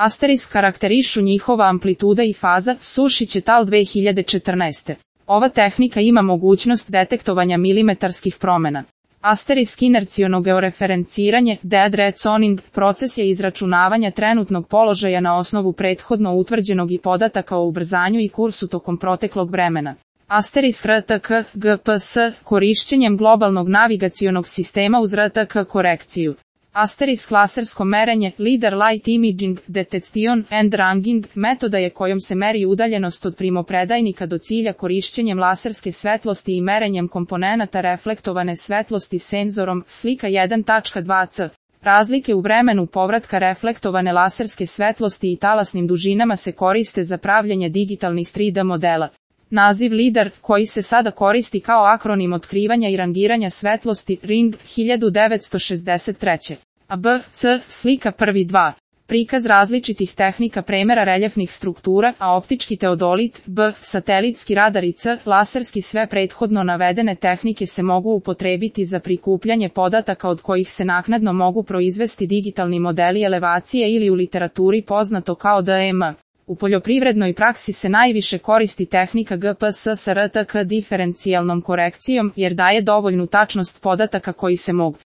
Asterisk karakterišu njihova amplituda i faza, Sušić et al. 2014. Ova tehnika ima mogućnost detektovanja milimetarskih promjena. Asterisk inerciono georeferenciranje, dead rezoning, proces je izračunavanja trenutnog položaja na osnovu prethodno utvrđenog i podataka o ubrzanju i kursu tokom proteklog vremena. Asterisk RTK, GPS, korišćenjem globalnog navigacionog sistema uz RTK korekciju. Asterisk lasersko merenje, Leader Light Imaging, Detection and Ranging, metoda je kojom se meri udaljenost od primopredajnika do cilja korišćenjem laserske svetlosti i merenjem komponenata reflektovane svetlosti senzorom, slika 1.2c. Razlike u vremenu povratka reflektovane laserske svetlosti i talasnim dužinama se koriste za pravljenje digitalnih 3D modela. Naziv LIDAR, koji se sada koristi kao akronim otkrivanja i rangiranja svetlosti, RING, 1963. A B, C, slika 1.2. Prikaz različitih tehnika premera reljefnih struktura, a optički teodolit, B, satelitski radar i C, laserski. Sve prethodno navedene tehnike se mogu upotrebiti za prikupljanje podataka od kojih se naknadno mogu proizvesti digitalni modeli elevacije ili u literaturi poznato kao DEM. U poljoprivrednoj praksi se najviše koristi tehnika GPS sa RTK diferencijalnom korekcijom jer daje dovoljnu tačnost podataka koji se mogu